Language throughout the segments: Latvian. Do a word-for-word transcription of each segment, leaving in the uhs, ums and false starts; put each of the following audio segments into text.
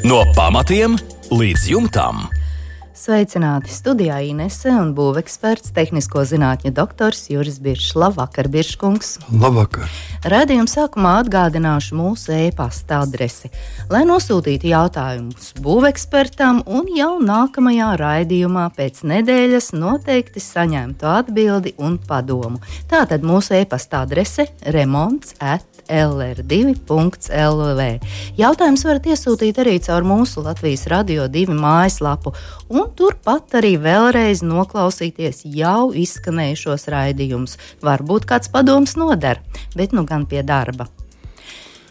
No pamatiem līdz jumtam. Sveicināti studijā Inese un būveksperts, tehnisko zinātņu doktors Juris Biršs. Labvakar, Birškungs. Labvakar. Radījuma sākumā atgādināšu mūsu e-pasta adresi, lai nosūtītu jautājumus būvekspertam un jau nākamajā raidījumā pēc nedēļas noteikti saņemtu atbildi un padomu. Tātad mūsu e-pasta adrese remonts at l r divi punkts l v. Jautājums varat iesūtīt arī caur mūsu Latvijas Radio divi mājaslapu un turpat arī vēlreiz noklausīties jau izskanējušos raidījumus. Varbūt kāds padoms noder, bet nu gan pie darba.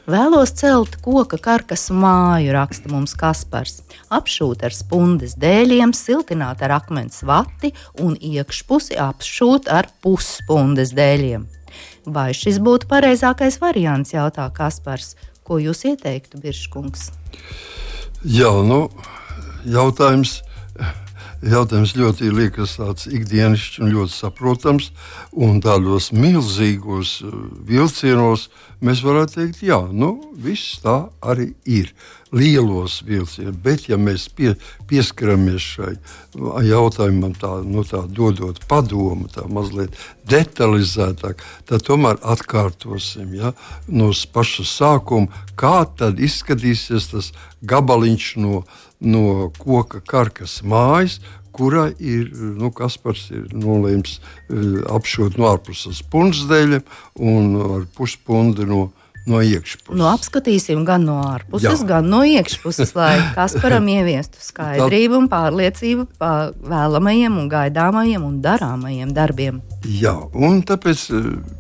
Vēlos celt koka karkasu māju, raksta mums Kaspars. Apšūt ar spundes dēļiem, siltināt ar akmens vati un iekšpusi apšūt ar pusspundes dēļiem. Vai šis būtu pareizākais variants, jautā Kaspars. Ko jūs ieteiktu, Birškungs? Jā, nu, jautājums, jautājums ļoti liekas tāds ikdienišķs un ļoti saprotams, un tādos milzīgos vilcienos mēs varētu teikt, jā, nu, viss tā arī ir. Lielos vilcienos, bet ja mēs pie, pieskaramies šai jautājumam tā, nu, tā dodot padomu, tā mazliet detalizētāk, tad tomēr atkārtosim, ja, no paša sākuma, kā tad izskatīsies tas gabaliņš no, no koka karkas mājas, kurā ir, nu, Kaspars ir nolēms apšūt no ārpuses pundsdēļiem un ar puspundi no No iekšpuses. Nu, apskatīsim gan no ārpuses, Jā. gan no iekšpuses, lai Kasparam ieviestu skaidrību un pārliecību par vēlamajiem un gaidāmajiem un darāmajiem darbiem. Jā, un tāpēc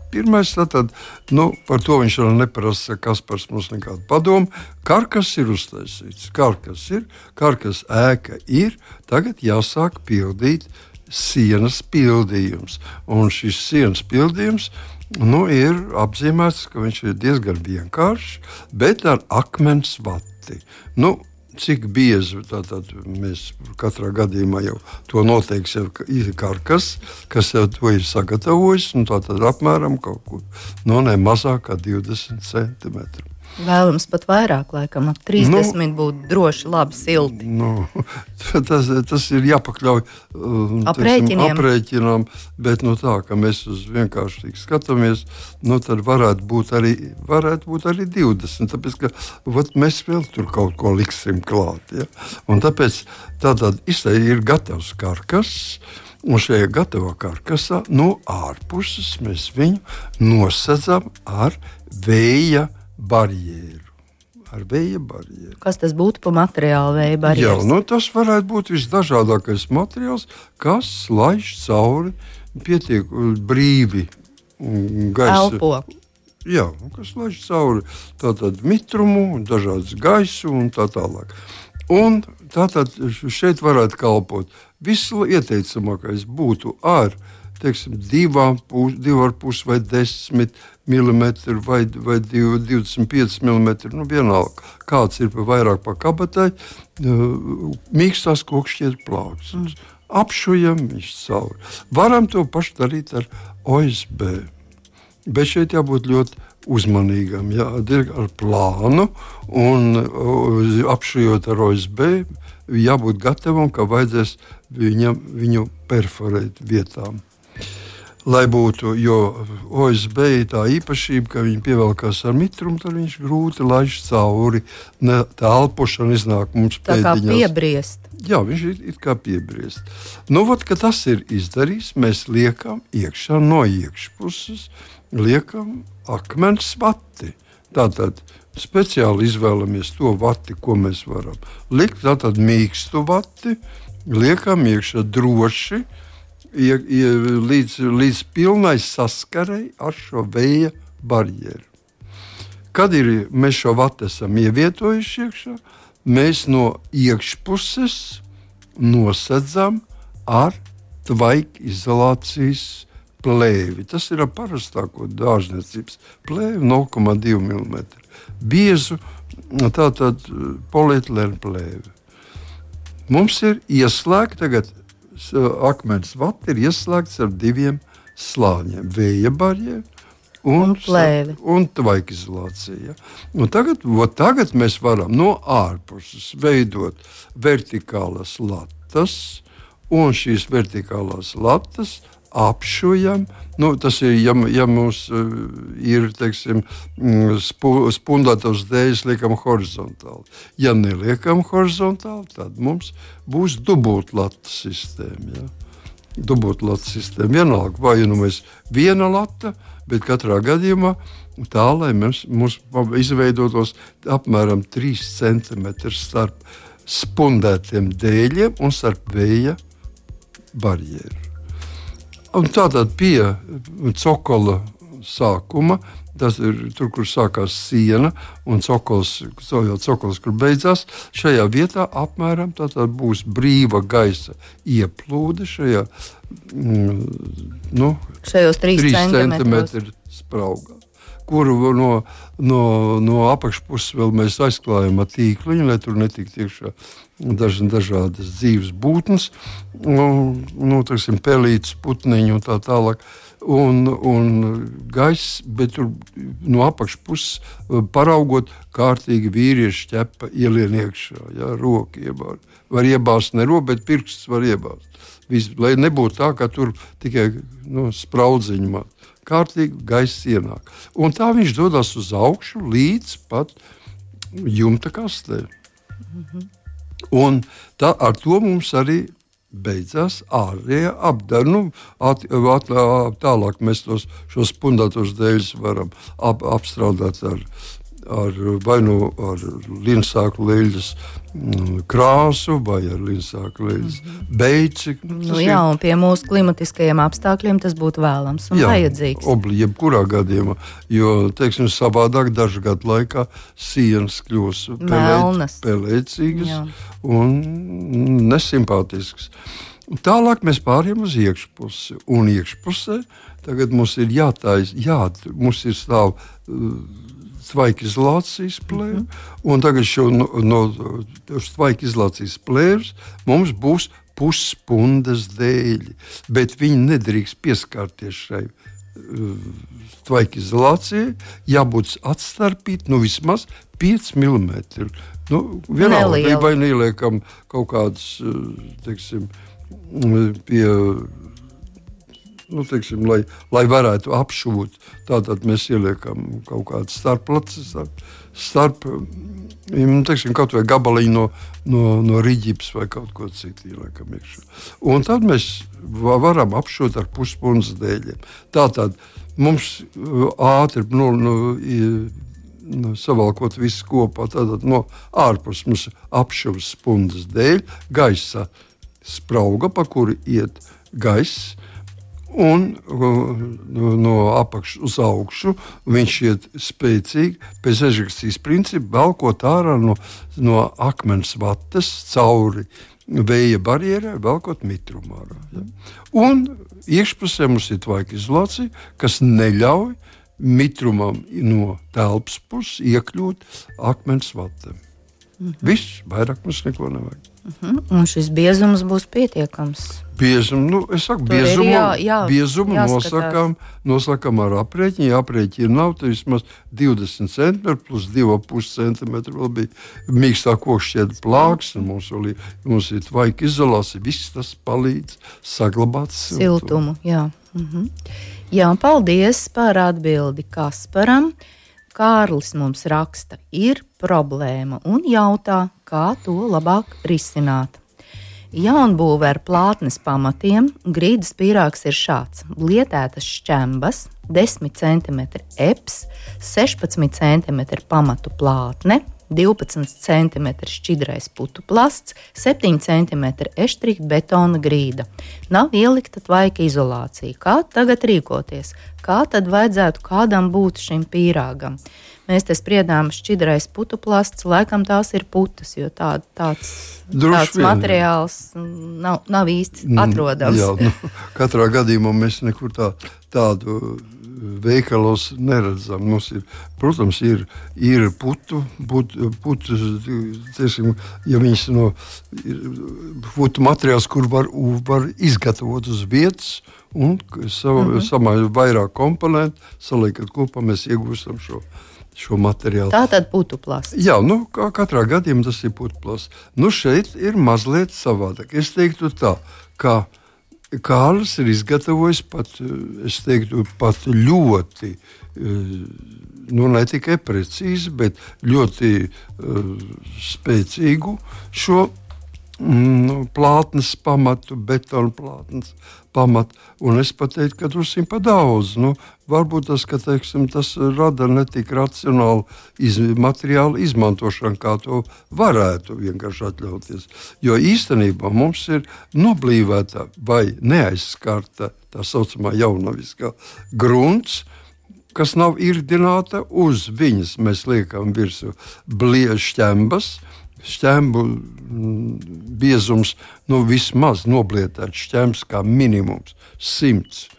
pirmais, tātad, nu, par to viņš vēl neprasa, Kaspars mums nekādu padomu. Karkas ir uztaisīts, karkas ir, karkas ēka ir, tagad jāsāk pildīt sienas pildījums. Un šis sienas pildījums Nu, ir apzīmēts, ka viņš ir diezgan vienkāršs, bet ar akmens vati. Nu, cik biezi tātad mēs katrā gadījumā jau to noteikts, ir karkas, kas jau to ir sagatavojis, un tātad apmēram kaut kur, nu, ne mazāk kā divdesmit centimetri. Vēlams pat vairāk, laikam, ap trīsdesmit nu, būtu droši labi silti. Nu, tas, tas ir jāpakļauj aprēķiniem. aprēķinām, bet nu, tā, ka mēs uz vienkārši tik skatāmies, nu, tad varētu būt arī, varētu būt arī divdesmit, tāpēc, ka vat, mēs vēl tur kaut ko liksim klāt. Ja? Un tāpēc tātad ir gatavs karkas, un šajā gatavā karkasā no ārpuses mēs viņu nosedzam ar vēja barjeru. Ar vēja barjeru. Kas tas būtu pa materiālu vēja barjeras? Jā, nu, tas varētu būt visdažādākais materiāls, kas laiž cauri pietiek brīvi gaisa. Elpo. Jā, kas laiž cauri tātad mitrumu, dažādas gaisu un tā tālāk. Un tātad šeit varētu kalpot. Vislieteicamākais būtu ar, teiksim, divām pus, divu ar pus vai desmit milimetri vai, vai divdesmit pieci milimetri, nu vienalga, kāds ir pa vairāk pa kabatai, mīkstās kokšķiet plauksnes. Apšujam viņš cauri. Varam to pašu darīt ar O S B, bet šeit jābūt ļoti uzmanīgam, jā, ar plānu un apšujot ar O S B, jābūt gatavam, ka vajadzēs viņam, viņu perforēt vietām. Lai būtu, jo O S B ir tā īpašība, ka viņi pievelkās ar mitrumu, tad viņš grūti laiž cauri. Ne, tā elpošana iznāk mums pēdiņās. Tā kā piebriest. Jā, viņš ir it kā piebriest. Nu, vat, ka tas ir izdarīts, mēs liekam iekšā no iekšpuses, liekam akmens vati. Tātad speciāli izvēlamies to vati, ko mēs varam likt. Tātad mīkstu vati, liekam iekšā droši, Ja, ja, līdz, līdz pilnai saskarei ar šo vēja barjeru. Kad ir, mēs šo vatu esam ievietojuši iekšā, mēs no iekšpuses nosedzam ar tvaikizolācijas plēvi. Tas ir ar parastāko dārzniecības plēvi nulle komā divi milimetri. Biezu tātad polietilēna plēvi. Mums ir ieslēgta tagad akmens vati ir ieslēgts ar diviem slāņiem. Vēja barjeru un plēvi. Un tvaikizolācija. Un tagad, tagad mēs varam no ārpuses veidot vertikālas latas, un šīs vertikālās latas apšujam. Nu, tas ir, ja, ja mums uh, ir, teiksim, spu, spundētos dēļas liekam horizontāli. Ja neliekam horizontāli, tad mums būs dubultlata sistēma. Ja? Dubultlata sistēma. Vienalga, vai nu mēs viena lata, bet katrā gadījumā tā, lai mēs, mums izveidotos apmēram trīs centimetri starp spundētiem dēļiem un starp vēja barjeru. Un tātad pie cokola sākuma, tas ir tur, kur sākās siena un cokols, cokols kur beidzās, šajā vietā apmēram tātad būs brīva gaisa ieplūde šajā mm, nu, šajos trīs centimetru spraugā, kuru no, no, no apakšpuses vēl mēs aizklājam ar tīkliņu, lai tur netiktu iekšā daž, dažādas dzīves būtnes, nu, nu, teiksim, pelītes, putniņu un tā tālāk. Un, un gaiss, bet tur no apakšpuses paraugot kārtīgi vīrieši ķepa ielien iekšā, ja, roka iebāzt. Var iebāzt ne roku, bet pirksts var iebāzt. Viss, lai nebūtu tā, ka tur tikai nu, spraudziņi māt. Kārtīgi gaiss ienāk. Un tā viņš dodas uz augšu līdz pat jumta kastē. Mm-hmm. Un tā, ar to mums arī beidzās ārējā apdara. Nu, at, at, tālāk mēs tos, šos spundētos dēļus varam ap, apstrādāt ar, ar vai nu ar linsāku leļas krāsu vai ar linsāku leļas mm-hmm. beici. Nu, jā, un pie mūsu klimatiskajiem apstākļiem tas būtu vēlams un jā, vajadzīgs. Obli, jebkurā gadījumā, jo, teiksim, savādāk dažu gadu laikā sienas kļūs pelēt, pelēcīgas jā. Un nesimpātiskas. Tālāk mēs pārējām uz iekšpusi, un iekšpusē tagad mums ir jātājas, jā, mums ir stāv uh, tvaikizolācijas plēve, mm-hmm. un tagad šo no, no tvaikizolācijas plēves mums būs pusspundas dēļi, bet viņi nedrīkst pieskārties šai uh, tvaikizolācijai, jābūt atstarpīt, nu vismaz pieci milimetri. Nu, vienalga, vai neliekam kaut kādas, teiksim, pie, nu, teiksim, lai, lai varētu apšūt, tātad mēs ieliekam kaut kādas starplaces, starp, starp nu, teiksim, kaut vai gabaliņu no, no, no riģips vai kaut ko citu ieliekam iekšā. Un tad mēs varam apšūt ar puspunas dēļiem. Tātad mums ātri, nu, nu, Nu, savalkot visu kopā, tātad no ārpus mums apšuvas spundas dēļ, gaisa sprauga, pa kuru iet gaiss, un no, no apakšas uz augšu viņš iet spēcīgi, pēc ežekcijas principa, velkot ārā no, no akmens vatas cauri vēja barjerai, velkot mitrumu ārā. Ja? Un iekšpusē mums ir tvaikizolācija, kas neļauj mitrumam no telpas puses iekļūt akmens vatiem. Mm-hmm. Viss, vairāk mums neko nevajag. Mm-hmm. Un šis biezums būs pietiekams? Biezumu, nu, es saku, Tur biezumu, jā, jā, biezumu nosakām, nosakām ar aprēķinu, ja aprēķinu nav, tad vismaz divdesmit centimetri plus divi ar pus centimetri vēl bija mīkstā kokšķieda plāks, un mums, vēl ir, mums ir tvaika izolācija, viss tas palīdz saglabāt siltumu. Siltumu, jā. Mm-hmm. Jā, paldies par atbildi Kasparam. Kārlis mums raksta, ir problēma un jautā, kā to labāk risināt. Jaunbūve ar plātnes pamatiem, grīdas pīrāgs ir šāds. Lietētas šķembas, desmit centimetri eps, sešpadsmit centimetri pamatu plātne, divpadsmit centimetri šķidrais putu plasts, septiņi centimetri eštrika betona grīda. Nav ielikta tvaika izolācija. Kā tagad rīkoties? Kā tad vajadzētu kādam būt šim pīrāgam? Mēs te spriedām šķidrais putu plasts, laikam tās ir putas, jo tā, tāds, tāds vien, materiāls nav, nav īsti atrodams. Jā, nu, katrā gadījumā mēs nekur tā, tādu veikalos neredzam. Mums ir, protams, ir, ir putu, putu, putu tiesim, ja viņas no putu materiāls, kur var, var izgatavot uz vietas un savu, mm-hmm. samā vairāk komponentu, saliekat kopā, mēs iegūstam šo šo materiālu. Tā tad putuplasts. Jā, nu, kā katrā gadījumā tas ir putuplasts. Nu, šeit ir mazliet savādāk. Es teiktu tā, ka Kārlis ir izgatavojis pat, es teiktu, pat ļoti, nu, ne tikai precīzi, bet ļoti uh, spēcīgu šo mm, plātnes pamatu, betonu plātnes pamatu. Un es pateiktu, ka drusku pa daudz. Nu, varbūt tas, ka teiksim, tas rada ne tik racionālu iz, materiālu izmantošanu, kā to varētu vienkārši atļauties. Jo īstenībā mums ir noblīvēta vai neaizskarta tā saucamā jaunaviskā grunts, kas nav irdināta, uz viņas mēs liekam virsū šķembas, šķembu biezums, nu vismaz noblietēts šķembs kā minimums simts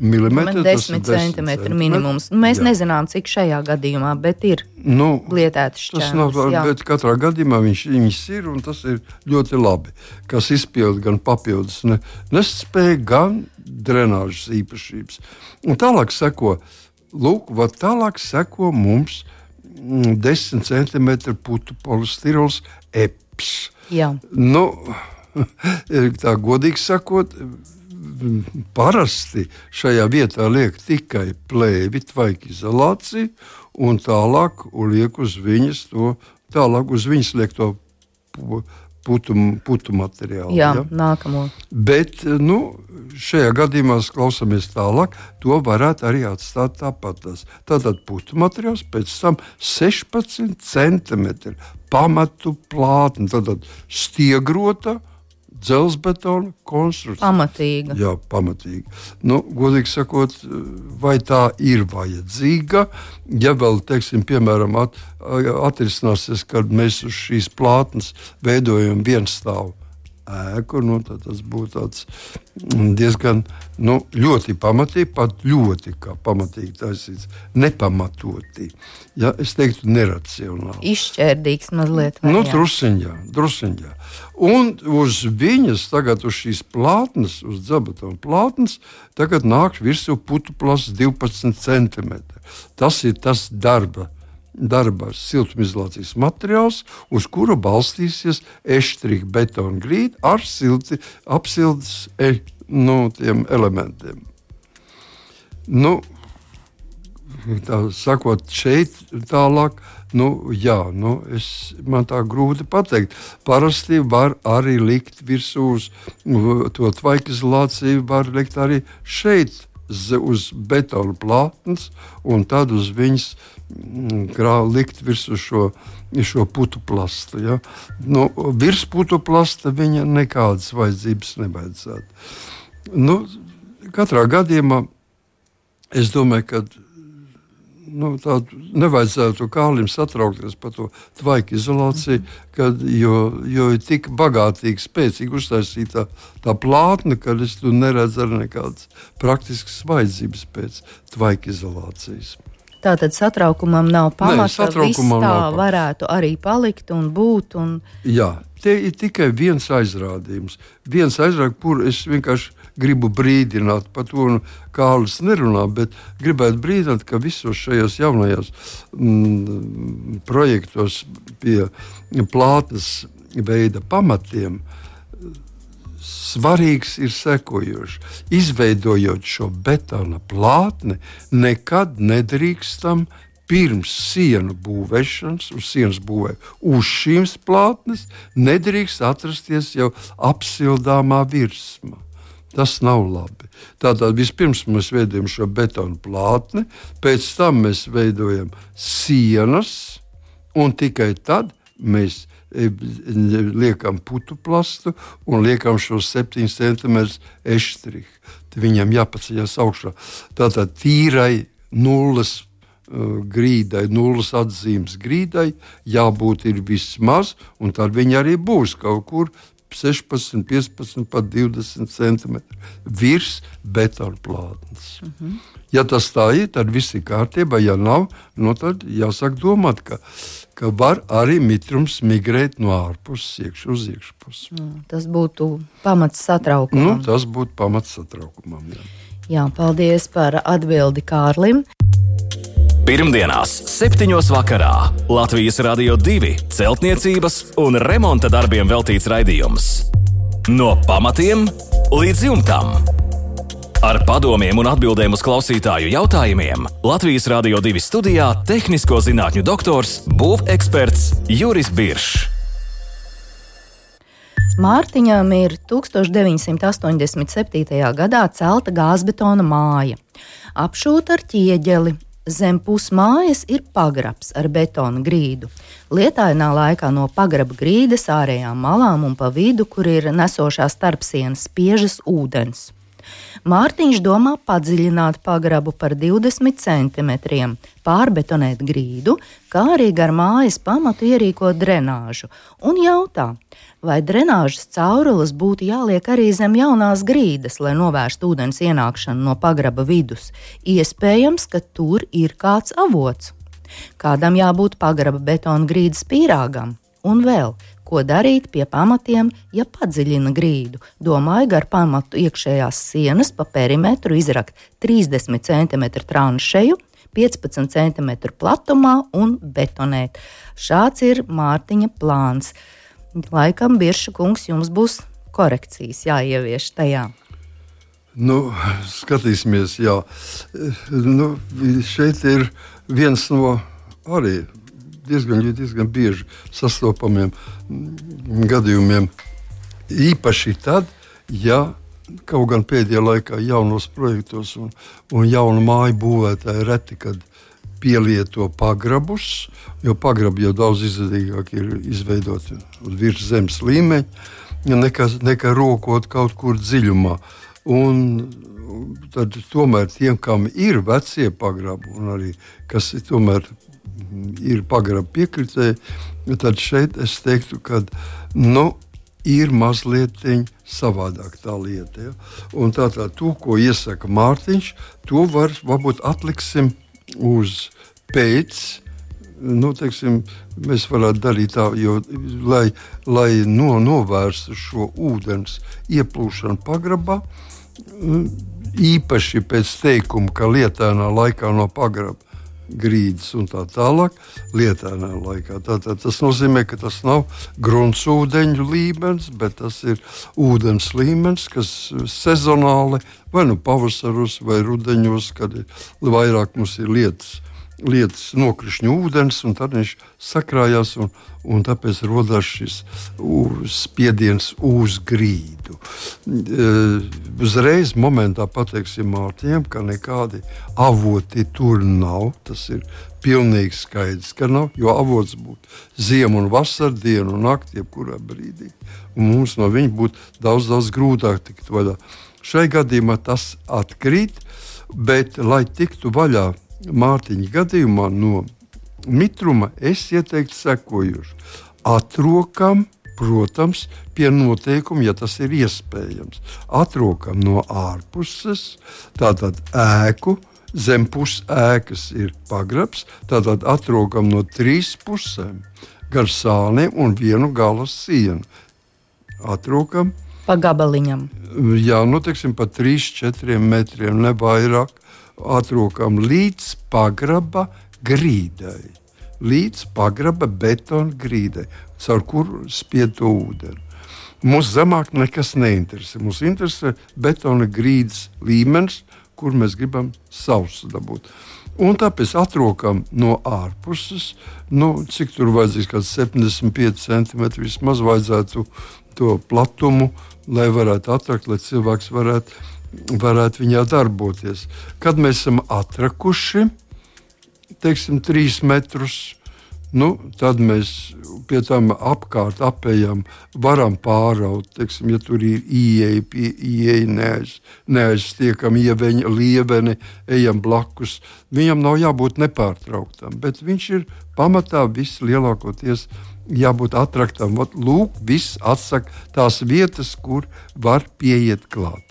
milimetri. desmit centimetri minimums. Mēs jā. Nezinām, cik šajā gadījumā, bet ir nu, lietēts šķembs. Tas nav, jā. Bet katrā gadījumā viņš, viņš ir, un tas ir ļoti labi, kas izpild gan papildus ne, nespēju, gan drenāžas īpašības. Un tālāk seko, lūk, va tālāk seko mums desmit centimetru putu polistirols eps. Jā. Nu, tā godīgi sakot, parasti šajā vietā liek tikai plēvi, tvaika izolāciju, un tālāk liek uz viņas to, tālāk uz viņas liek to putu, putu materiālu. Jā, ja? Nākamo. Bet, nu, šajā gadījumā klausāmies tālāk, to varētu arī atstāt tāpat. Tātad putu materiāls, pēc tam sešpadsmit centimetri pamatu plātni, tātad stiegrota dzelzbetona konstrukcija. Pamatīga. Jā, pamatīga. Nu, godīgi sakot, vai tā ir vajadzīga, ja vēl, teiksim, piemēram, at, atrisināsies, kad mēs uz šīs plātnes veidojam vienstāvu ēku, nu, tad tas būtu tāds diezgan, nu, ļoti pamatīgi, pat ļoti kā pamatīgi taisīts, nepamatoti. Ja, es teiktu, neracionāli. Izšķērdīgs mazliet. Nu, drusiņā, drusiņā. Un uz viņas, tagad uz šīs plātnes, uz dzelzbetona plātnes, tagad nāk virsū putuplasts divpadsmit centimetri. Tas ir tas darba. darba siltumizolācijas materiāls, uz kura balstīsies eštrika betona grīda ar silti apsildes e, nu, tiem elementiem. Nu, tā sakot, šeit tālāk, nu, jā, nu, es, man tā grūti pateikt. Parasti var arī likt virsū uz to tvaika izolāciju, var likt arī šeit uz betona plātnes, un tad uz viņas grā, likt virsū šo, šo putu plastu. Ja? Nu, virs putu plasta viņa nekādas vajadzības nevajadzētu. Nu, katrā gadījumā es domāju, ka nu, tādu nevajadzētu Kārlim satraukties par to tvaika izolāciju, kad, jo, jo ir tik bagātīgi, spēcīgi uztaisīta tā plātne, ka es tu neredzu arī nekādas praktiskas vajadzības pēc tvaika izolācijas. Tātad satraukumam nav pamata, Nē, satraukumam viss tā nav varētu arī palikt un būt. Un... Jā, te ir tikai viens aizrādījums. Viens aizrādījums, kur es vienkārši gribu brīdināt par to, un Kārlis nerunā, bet gribētu brīdināt, ka visos šajos jaunajos mm, projektos pie plātnes veida pamatiem svarīgs ir sekojošs. Izveidojot šo betona plātni, nekad nedrīkstam pirms sienu būvēšanas, uz sienas būvē uz šīm plātnes, nedrīkst atrasties jau apsildāmā virsma. Tas nav labi. Tātad vispirms mēs veidojam šo betona plātni, pēc tam mēs veidojam sienas, un tikai tad mēs liekam putu plastu un liekam šo septiņus centimetrus eštriku. Viņam jāpaceļas augšā. Tātad tīrai nulles uh, grīdai, nulles atzīmes grīdai jābūt ir vismaz, un tad viņa arī būs kaut kur sešpadsmit, piecpadsmit, pat divdesmit centimetri virs betona plātnes. Mm-hmm. Ja tas tā ir, tad viss ir kārtībā. Ja nav, nu tad jāsāk domāt, ka, ka var arī mitrums migrēt no ārpuses iekš uz iekšpusi. Mm, tas būtu pamats satraukumam. Nu, tas būtu pamats satraukumam, jā. Jā, paldies par atbildi Kārlim. Pirmdienās, septiņos vakarā Latvijas Radio divi celtniecības un remonta darbiem veltīts raidījums. No pamatiem līdz jumtam. Ar padomiem un atbildēm uz klausītāju jautājumiem Latvijas Radio divi studijā tehnisko zinātņu doktors, būveksperts Juris Biršs. Mārtiņam ir tūkstoš deviņsimt astoņdesmit septītajā gadā celta gāzbetona māja, apšūta ar ķieģeli. Zem pusmājas ir pagrabs ar betona grīdu. Lietainā laikā no pagraba grīdas ārējām malām un pa vidu, kur ir nesošā starpsienas, spiežas ūdens. Mārtiņš domā padziļināt pagrabu par divdesmit centimetriem, pārbetonēt grīdu, kā arī gar mājas pamatu ierīkot drenāžu, un jautā, vai drenāžas caurules būtu jāliek arī zem jaunās grīdas, lai novērstu ūdens ienākšanu no pagraba vidus. Iespējams, ka tur ir kāds avots. Kādam jābūt pagraba betona grīdas pīrāgam, un vēl, ko darīt pie pamatiem, ja padziļina grīdu. Domāju, gar pamatu iekšējās sienas pa perimetru izrakt trīsdesmit centimetru tranšeju, piecpadsmit centimetru platumā un betonēt. Šāds ir Mārtiņa plāns. Laikam, Birša kungs, jums būs korekcijas jāievieš tajā. Nu, skatīsimies, jā. Nu, šeit ir viens no arī diezgan, diezgan bieži sastopamiem gadījumiem. Īpaši tad, ja kaut gan pēdējā laikā jaunos projektos un, un jaunu māju būvētāji reti, kad pielieto pagrabus, jo pagrabi jau daudz izdevīgāk ir izveidoti uz virs zemes līmeņa, nekā, nekā rokot kaut kur dziļumā. Un tad tomēr tiem, kam ir vecie pagrabi un arī kas ir tomēr ir pagraba piekritēji, tad šeit es teiktu, ka nu, ir mazliet savādāk tā lieta. Ja? Un tātad to, ko iesaka Mārtiņš, to var, varbūt atliksim uz pēc, nu, teiksim, mēs varētu darīt tā, jo, lai, lai no, novērstu šo ūdens ieplūšanu pagrabā, īpaši pēc teikuma, ka lietainā laikā no pagraba grīdas un tā tālāk, lietainā laikā. Tātad tas nozīmē, ka tas nav gruntsūdeņu līmenis, bet tas ir ūdens līmenis, kas sezonāli, vai nu pavasaros, vai rudeņos, kad vairāk mums ir lietas, lietas nokrišņu ūdens, un tad viņš sakrājās, un, un tāpēc rodās šis spiediens uz grīdu. E, uzreiz momentā pateiksim Mārtiņam, ka nekādi avoti tur nav, tas ir pilnīgi skaidrs, ka nav, jo avots būtu ziemu un vasaru, dienu un nakti, jebkurā brīdī. Un mums no viņa būtu daudz, daudz grūtāk tikt vaļā. Šai gadījumā tas atkrīt, bet, lai tiktu vaļā Mārtiņa gadījumā no mitruma, es ieteiktu sekojuši. Atrokam, protams, pie noteikuma, ja tas ir iespējams. Atrokam no ārpuses, tātad ēku, zem pus ēkas ir pagrabs, tātad atrokam no trīs pusēm, gar sāniem un vienu galas sienu. Atrokam. Pa gabaliņam. Jā, nu, teiksim, pa trīs, četriem metriem, ne vairāk. Atrokam līdz pagraba grīdai, līdz pagraba betona grīdai, caur kuru spied to ūdeni. Mums zemāk nekas neinteresē. Mums interesē betona grīdas līmenis, kur mēs gribam sausu dabūt. Un tāpēc atrokam no ārpuses, nu, cik tur vajadzīgs, kāds septiņdesmit pieci centimetri vismaz vajadzētu to platumu, lai varētu atrakt, lai cilvēks varētu varētu viņā darboties. Kad mēs esam atrakuši, teiksim, trīs metrus, nu, tad mēs pie tam apkārt apējam, varam pāraut, teiksim, ja tur ir ieeja, pie ieeja neaiz, neaizstiekam ieveņa, lieveni, ejam blakus. Viņam nav jābūt nepārtrauktam, bet viņš ir pamatā viss lielākoties jābūt atraktam. Ot, lūk, viss atsaka tās vietas, kur var pieiet klāt.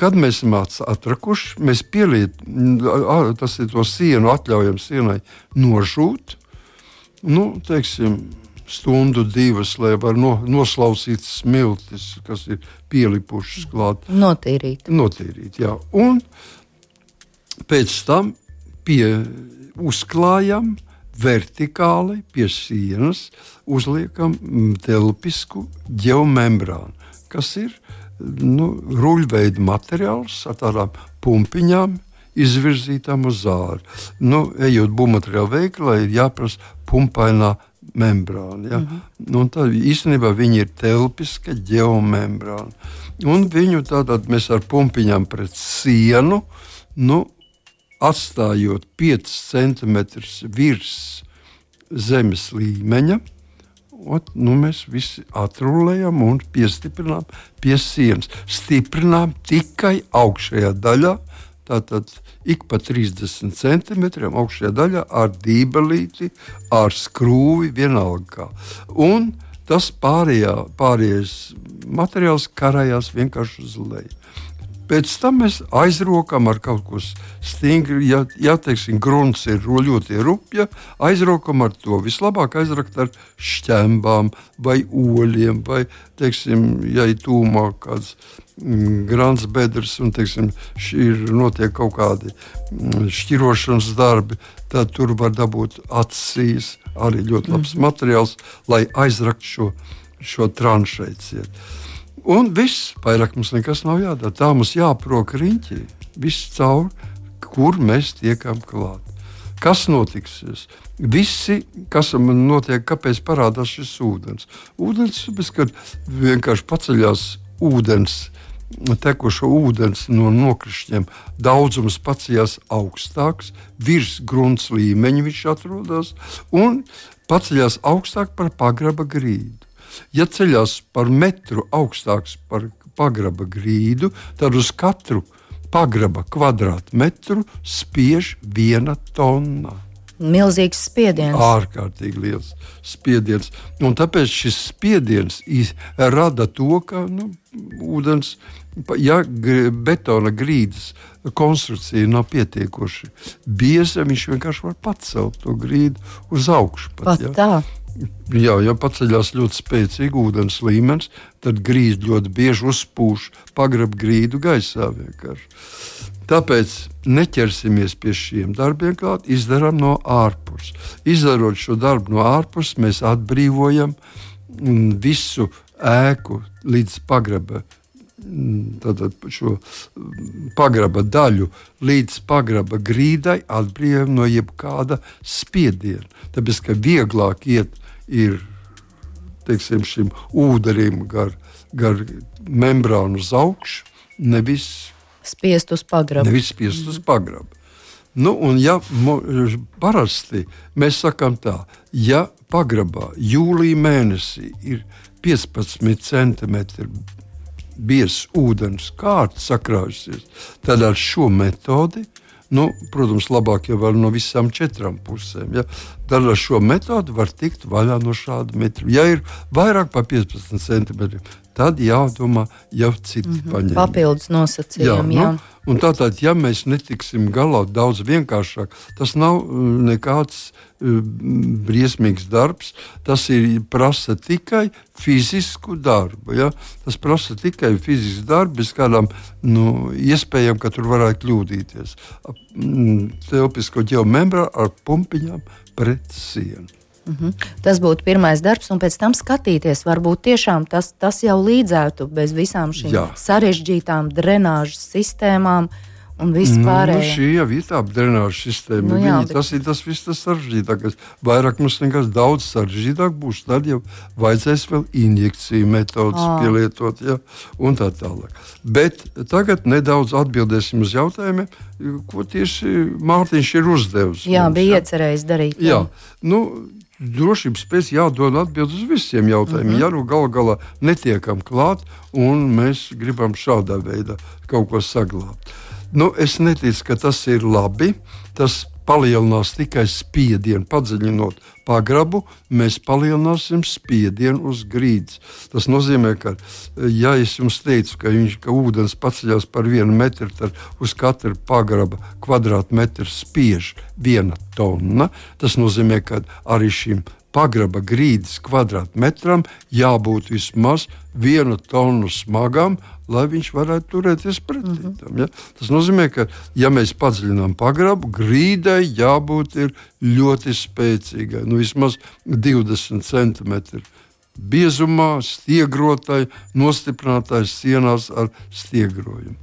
Kad mēs esam atrakuši, mēs pielietojam, tas ir to sienu, atļaujam sienai nožūt, nu, teiksim, stundu, divas, lai var no, noslausīt smiltis, kas ir pielipušas klāt. Notīrīt. Notīrīt, jā. Un pēc tam pie, uzklājam vertikāli pie sienas, uzliekam telpisku ģeomembrānu, kas ir nu, ruļveida materiāls ar tādām pumpiņām izvirzītām uz āru. Nu, ejot būvmateriālu veikalā, ir jāprasa pumpainā membrāna. Ja? Mm-hmm. Un tā īstenībā viņi ir telpiska ģeomembrāna. Un viņu tātad mēs ar pumpiņām pret sienu, nu, atstājot piecus centimetrus virs zemes līmeņa, ot, nu, mēs visi atrulējam un piestiprinām pie sienas. Stiprinām tikai augšējā daļā, tātad ik pa trīsdesmit centimetriem augšējā daļā ar dībelīti, ar skrūvi, vienalga kā. Un tas pārējā, pārējais materiāls karājās vienkārši uz leju. Pēc tam mēs aizrokam ar kaut ko stingru, ja, ja teiksim, grunts ir ļoti rupja, aizrokam ar to. Vislabāk aizrakt ar šķembām vai oļiem, vai, teiksim, ja ir tūmā kāds mm, grants bedrs un, teiksim, ir notiek kaut kādi mm, šķirošanas darbi, tad tur var dabūt atsīs, arī ļoti labs mm. materiāls, lai aizrakt šo, šo tranšēciet. Un viss, vairāk mums nekas nav jādara. Tā mums jāprok riņķī, viss caur, kur mēs tiekam klāt. Kas notiksies? Visi, kas man notiek, kāpēc parādās šis ūdens? Ūdens, kad vienkārši paceļās ūdens, tekušo ūdens no nokrišņiem, daudzums paceļās augstāks, virs grunts līmeņa viņš atrodas, un paceļās augstāk par pagraba grīdu. Ja ceļās par metru augstāks par pagraba grīdu, tad uz katru pagraba kvadrātmetru spiež viena tonna. Milzīgs spiediens. Ārkārtīgi liels spiediens. Un tāpēc šis spiediens rada to, ka nu, ūdens, ja betona grīdas konstrukcija nav pietiekoši bieza, viņš vienkārši var pacelt to grīdu uz augšu. Pat, pat ja? tā. Jā, ja paceļās ļoti spēcīgi ūdens līmenis, tad grīda ļoti bieži uzpūš pagrab grīdu gaisā vienkārši. Tāpēc neķersimies pie šiem darbiem klāt, izdarām no ārpus. Izdarot šo darbu no ārpus, mēs atbrīvojam visu ēku līdz pagraba, tātad šo pagraba daļu līdz pagraba grīdai atbrīvojam no jebkāda spiediena. Tāpēc, ka vieglāk iet ir, teiksim, šim ūderim gar, gar membrānu uz augšu, nevis spiest uz pagrabu. Nevis spiest uz pagrabu. Nu, un ja parasti mēs sakām tā, ja pagrabā jūlija mēnesī ir piecpadsmit centimetri biezs ūdens kārts sakrājusies, tad ar šo metodi, nu, protams, labāk jau var no visām četrām pusēm. Ja? Tad ar šo metodi var tikt vaļā no šāda metra. Ja ir vairāk par piecpadsmit centimetriem, tad jādomā jau citi mm-hmm. paņēmi. Papildus nosacījumi, jā. jā. Nu, un tātad, ja mēs netiksim galā daudz vienkāršāk, tas nav nekāds uh, briesmīgs darbs, tas ir prasa tikai fizisku darbu. Ja? Tas prasa tikai fizisku darbu, bez kādām nu, iespējām, ka tur varētu kļūdīties. Telpisko ģeomembrānu ar pumpiņām pret sienu. Mhm. Tas būtu pirmais darbs, un pēc tam skatīties, varbūt tiešām tas, tas jau līdzētu bez visām šīm Jā. sarežģītām drenāžas sistēmām un vispārējā. Nu, šī jau ir tā drenāžas sistēma. Nu, jā, Viņi, bet... Tas ir tas viss tas sarežģītākais. Vairāk mums nekas daudz sarežģītāk būs, tad jau vajadzēs vēl injekciju metodas à. pielietot, ja, un tā tālāk. Bet tagad nedaudz atbildēsim uz jautājumiem, ko tieši Mārtiņš ir uzdevis. Jā, mums, bija jā. iecerējis darīt. Jā, jā. Nu, drošības pēc jādod atbild uz visiem jautājumiem. Mm-hmm. Ja nu gal galā netiekam klāt, un mēs gribam šādā veidā kaut ko saglābt. Nu, es neticu, ka tas ir labi. Tas palielinās tikai spiedienu, padziļinot pagrabu, mēs palielināsim spiedienu uz grīdas. Tas nozīmē, ka, ja es jums teicu, ka, viņš, ka ūdens paceļās par vienu metru, tad uz katru pagraba kvadrātmetru spiež viena tonna. Tas nozīmē, ka arī šim pagraba grīdas kvadrātmetram jābūt vismaz vienu tonu smagam, lai viņš varētu turēties pretī tam. Mm-hmm. Ja? Tas nozīmē, ka, ja mēs padziļinām pagrabu, grīdai jābūt ir ļoti spēcīgai, nu vismaz divdesmit centimetri biezumā, stiegrotai, nostiprinātai sienās ar stiegrojumu.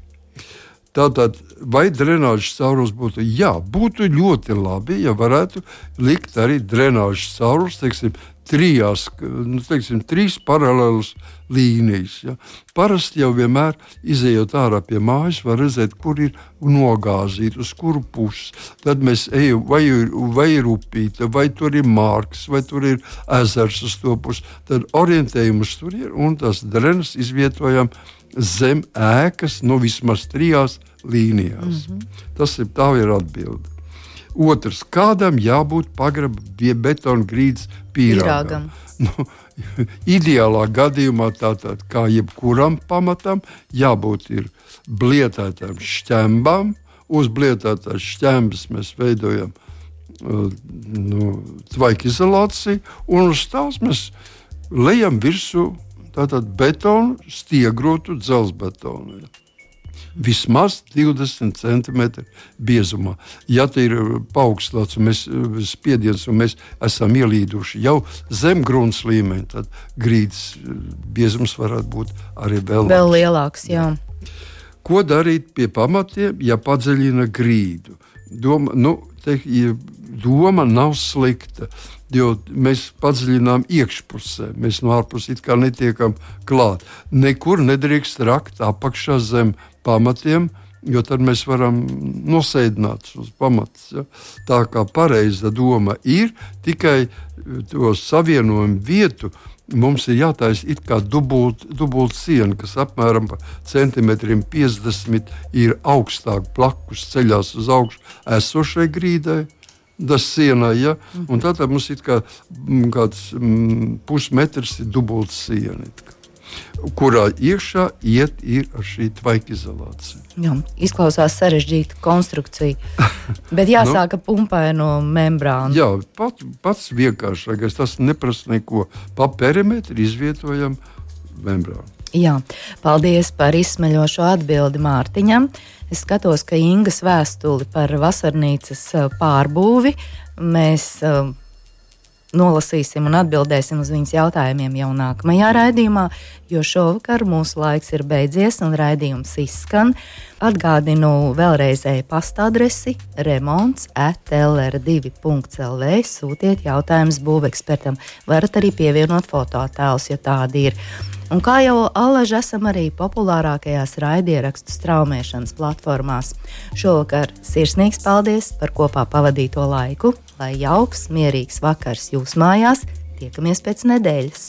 Tātad, vai drenāžas caurules būtu? Jā, būtu ļoti labi, ja varētu likt arī drenāžas caurules, teiksim, trijās, nu, teiksim, trīs paralēlas līnijas. Ja. Parasti jau vienmēr, izejot ārā pie mājas, var redzēt, kur ir nogāzīta, uz kuru pusi. Tad mēs ejam, vai, vai ir upīte, vai tur ir mārks, vai tur ir ezers uz to pusi. Tad orientējumus tur ir, un tās drenas izvietojam zem ēkas, nu vismaz trijās līnijās. Mm-hmm. Tas ir, tā ir atbilde. Otrs, kādam jābūt pagraba betona grīdas pīrāgam. Nu, ideālā gadījumā tātad, kā jebkuram pamatam, jābūt ir blietētām šķembām. Uz blietētās šķembas mēs veidojam uh, nu, tvaika izolāciju, un uz tās mēs lejam virsū tātad betonu, stiegrotu dzelzbetonu. Vismaz divdesmit centimetri biezumā. Ja te ir paaugstināts un mēs spiediens un mēs esam ielīduši jau zem grunts līmeņa, tad grīdas biezums varētu būt arī vēl, vēl lielāks. Jā. Ko darīt pie pamatiem, ja padziļina grīdu? Doma, nu, te, doma nav slikta. Jo mēs padziļinām iekšpusē, mēs no ārpuses it kā netiekam klāt. Nekur nedrīkst rakt apakšā zem pamatiem, jo tad mēs varam nosēdināt uz pamatus. Ja? Tā kā pareiza doma ir, tikai to savienojumu vietu mums ir jātaisa it kā dubult, dubult siena, kas apmēram pa centimetriem piecdesmit ir augstāk plakus ceļās uz augšu esošai grīdai. Tas sienā, ja? Un tātad mums ir kā, kāds mm, pusmetrs ir dubulta siena, kurā iekšā iet ir ar šī tvaika izolācija. Jā, izklausās sarežģīta konstrukcija, bet jāsāk nu, pumpaino membrānu. Jā, pat, pats vienkāršākais, tas neprasa neko. Pa perimetru izvietojam membrānu. Jā, paldies par izsmeļošo atbildi Mārtiņam. Es skatos, ka Ingas vēstuli par vasarnīcas pārbūvi mēs uh, nolasīsim un atbildēsim uz viņas jautājumiem jau nākamajā raidījumā, jo šovakar mūsu laiks ir beidzies un raidījums izskan. Atgādinu vēlreiz e-pasta adresi remonts at l r divi punkts l v. Sūtiet jautājumus būvekspertam. Varat arī pievienot fotoattēlus, ja tādi ir. Un kā jau allaž esam arī populārākajās raidierakstu straumēšanas platformās. Šovakar sirsnīgs paldies par kopā pavadīto laiku. Lai jauks, mierīgs vakars jūs mājās. Tiekamies pēc nedēļas.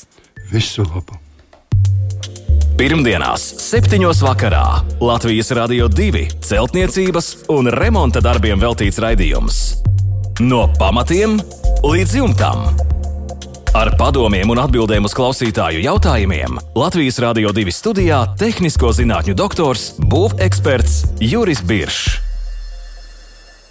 Visu labu! Pirmdienās, septiņos vakarā Latvijas Radio divi celtniecības un remonta darbiem veltīts raidījums. No pamatiem līdz jumtam. Ar padomiem un atbildēm uz klausītāju jautājumiem Latvijas Radio divi studijā tehnisko zinātņu doktors, būveksperts Juris Biršs.